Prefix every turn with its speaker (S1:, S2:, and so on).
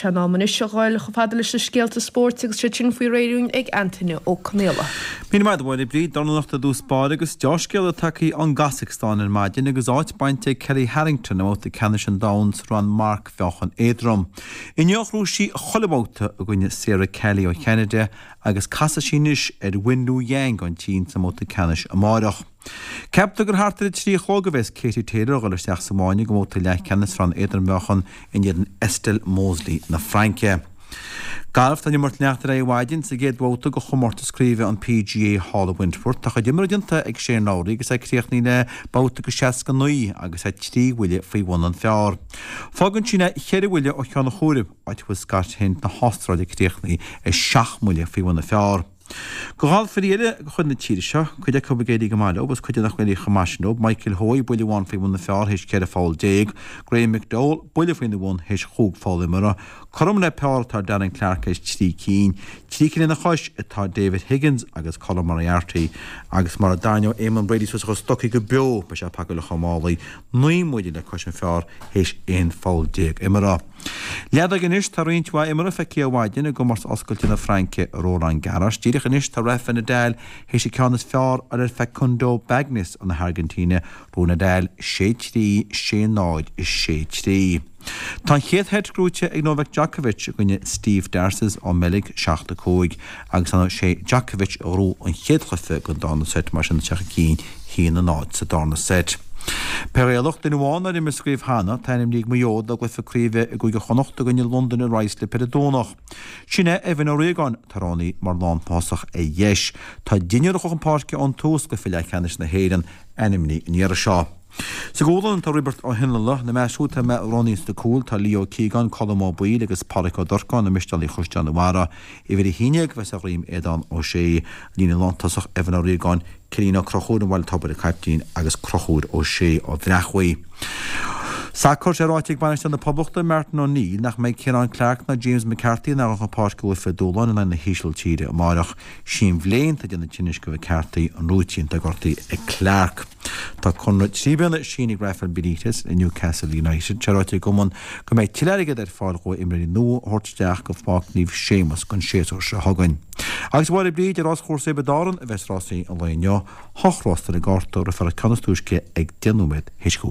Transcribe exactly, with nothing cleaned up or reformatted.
S1: Tá sé in am anois a ghoil chomh fada leis na scéalta spóirt agus siad sin faoi réir ag Antaine Ó Conaola.
S2: Míle maith agat a Mháire Bríd, dornálaíocht i dtús báire agus deá-scéala tagtha ón gCasacstáin ar maidin agus áit bainte ag Kellie Harrington i mbabhta ceannais an domhain sa rang marcmheáchan éadrom. Inniu ghnóthaigh sí chuile bhabhta i gcoinne Sarah Kelly ó Cheanada agus casfaidh sí anois ar Wenlu Yang ón tSín sa mbabhta ceannais amáireach. Ceaptar gur thart ar a trí a chlog a bheas Katie Taylor ag dul isteach sa bhfáinne go mbabhta leathcheannais sa rang éadrom-mheáchan in éadan Estelle Mossely na Fraince. Galf, Tá an imirt ag leanacht ar aghaidh ar maidin sa gcéad bhabhta de chomórtas craoibhe an PGA thall i Wentworth. Tá a chuid imeartha déanta ag Shane Lowry agus é críochnaithe le babhta de seasca naoi agus é trí bhuille faoi bhun an phar. Fágann sin é ceithre bhuille ó cheann an chomhairimh, áit a bhfuil Scott Hend na hAstráile críochnaithe ar seacht mbuille faoi bhun an phar. De ghalfairí eile de chuid na tíre seo, cuid acu ag éirí go maith leo agus cuid nach ag éirí chomh maith sin leo, Michael Hoey, buille amháin faoi bhun an phar théis ceithre pholl déag, Graeme McDowell, buille faoina bhun théis chúig pholl imeartha, cothrom le par atá Darren Clarke théis trí cinn, trí cinn lena chois atá David Higgins agus Colin Moriarty agus mura dtarraingeoidh Eamonn Brady suas a chuid stocaí go beo beidh sé ag pacáil a chuid málaí, naoi mbuille le cois an phar théis aon pholl déag imeartha. Leadóg anois, tá roinnt mhaith imeartha feicthe ar maidin i gcomórtas oscailte na Fraince i Roland Garros. Díreach anois tá Rafa Nadal théis an ceann is fearr a fháil ar Facundo Bagnis ó na hAirgintíne, bhuaigh Nadal sé trí, sé náid is sé trí. Tá an chéad sheit gnóite ag Novak Djokovic i gcoinne Steve Darcis ón mBeilg, seacht a cúig, agus ar ndóigh sé Djokovic a ghnóthaigh an chéad chluiche den darna seit, mar sin tá sé chun cinn haon a náid sa darna seit. Peil Ghaelach, duine amháin nár imir sa gcraobh cheana, tá ainmnithe ag Maigh Eo do gcluiche craoibhe i gCúige Chonnacht i gcoinne Londain i Ruislip ar an Domhnach. Sin é Evan Ó Riagáin, atá roghnaithe mar lántosach ar dheis. Tá deichniúr a chuaigh chun páirce ón tús i gcluiche leathcheannais na hÉireann ainmnithe an iarraidh seo. Sa gCualann tá Roibeart Ó hIonnala, ina measc siúd atá roghnaithe sna cúil tá Leo Keegan, Colm Ó Baoill agus Pádraic Ó Durcáin i Mistéalaigh Chaisleán an Bharraigh. Uimhir a haon déag a bheas ar dhroim Aodán Ó Sé, líne lántosach Evan Ó Riagáin, Cillian Ó Conchúir ó Bhaile Tobair an caiptín agus Conchúr Ó Sé ó Bhreachmhaigh. Sacar, Tá sé ráite ag bainisteoir na Poblachta, Martin O'Neill, nach mbeidh Ciarán Clarke ná James McCarthy in ann dul chun páirce i gcluiche dúshláin in aghaidh na hÍsiltíre amárach. Sí an bhléin atá ag déanamh tinnis do McCarthy, an rúitín atá gortaithe ag Clarke. Tá conradh trí bliana sínithe ag Rafael Benitez le Newcastle United. Tá sé ráite ag an gcumann go mbeidh tuilleadh airgid ar fáil dhó imreoirí nua a thabhairt isteach go Pháirc Naomh Séamus don séasúr seo chugainn. Agus a Mháire Bríd, ar ráschúrsa Thiobraid Árann a bheas rásaí an lae inniu, hocht rás ar an gcárta, rithfear an ceann is túisce ag deich nóiméad théis a cúig.